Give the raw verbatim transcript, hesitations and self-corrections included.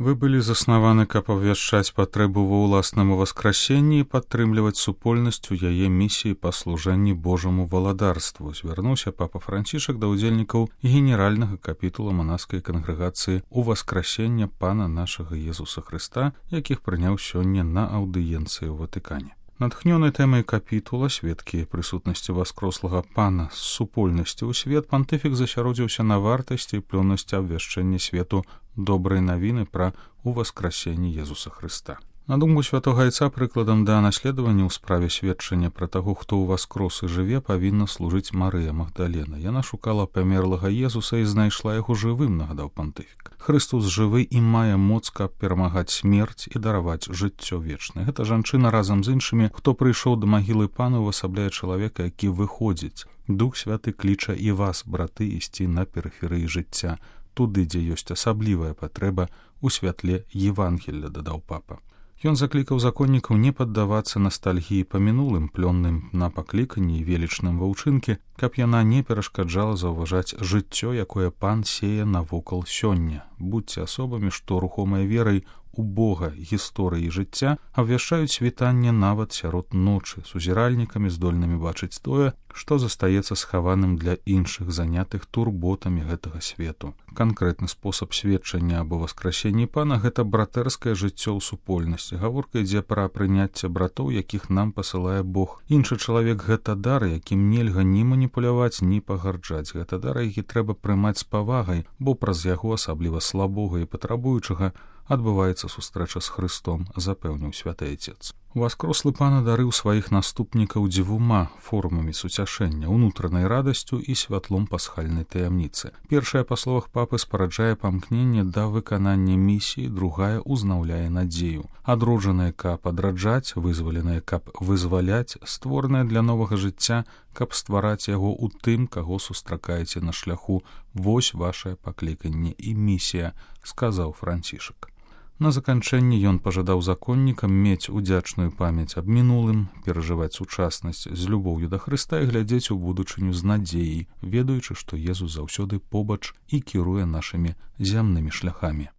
Вы былі заснаваны, каб абвяшчаць патрэбу ва ўласнаму васкрасенні і падтрымліваць супольнасць у яе місіі па служэнні Божаму валадарству. Звярнуўся папа Францішак да ўдзельнікаў генеральнага капітула манаскай кангрэгацыі у васкрасення Пана нашага Езуса Хрыста, якіх прыняў сёння на аўдыенцыі ў Ватыкане. Натхнёны тэмай капітула, сведкі прысутнасці васкрослага Пана з супольнасці ў свет, пантыфік засяродзіўся на вартасці і плённасці абвяшчэння свету добрай навіны пра уваскрасенне Езуса Хрыста. На думку святога Айца, прыкладам да наследавання ў справе сведчання пра таго, хто ўваскрос і жыве, павінна служыць Марыя Магдалена. Яна шукала памерлага Езуса і знайшла яго жывым, нагадаў пантыфік. Хрыстус жывы і мае моц, каб перамагаць смерць і дараваць жыццё вечнае. Гэта жанчына разам з іншымі, хто прыйшоў да магілы Пана, увасабляе чалавека, які выходзіць. Дух Святы кліча і вас, браты, ісці на перыферыі жыцця, туды, дзе ёсць асаблівая патрэба у святле Евангелля, дадаў папа. Ён заклікаў законнікаў не паддавацца настальгіі па мінулым, плённым на пакліканні і велічным ва ўчынкі, каб яна не перашкаджала заўважаць жыццё, якое Пан сее навокал сёння. Будзьце асобамі, што рухомай верай у Бога, гісторыі жыцця абвяшчаюць світанне нават сярод ночы, сузіральнікамі, здольнымі бачыць тое, што застаецца схаваным для іншых, занятых турботамі гэтага свету. Канкрэтны спосаб сведчання аб уваскрасенні Пана — гэта братэрскае жыццё ў супольнасці. Гаворка ідзе пра прыняцце братоў, якіх нам пасылае Бог. Іншы чалавек — гэта дар, якім нельга ні маніпуляваць, ні пагарджаць. Гэта дар, які трэба прымаць з павагай, бо праз яго, асабліва слабога і патрабуючага, адбываецца сустрэча з Хрыстом, запэўніў святы Айцец. Уваскрослы Пан адарыў сваіх наступнікаў дзвюма формамі суцяшэння — унутранай радасцю і святлом пасхальнай таямніцы. Першая, па словах папы, спараджае памкненне да выканання місіі, другая узнаўляе надзею. Адроджанае, каб адраджаць, вызваленае, каб вызваляць, створанае для новага жыцця, каб ствараць яго ў тым, каго сустракаеце на шляху. Вось вашае пакліканне і місія, сказаў Францішак. На заканчэнне ён пажадаў законнікам мець удзячную памяць аб мінулым, перажываць сучаснасць з любоўю да Хрыста і глядзець у будучыню з надзеяй, ведаючы, што Езус заўсёды побач і кіруе нашымі зямнымі шляхамі.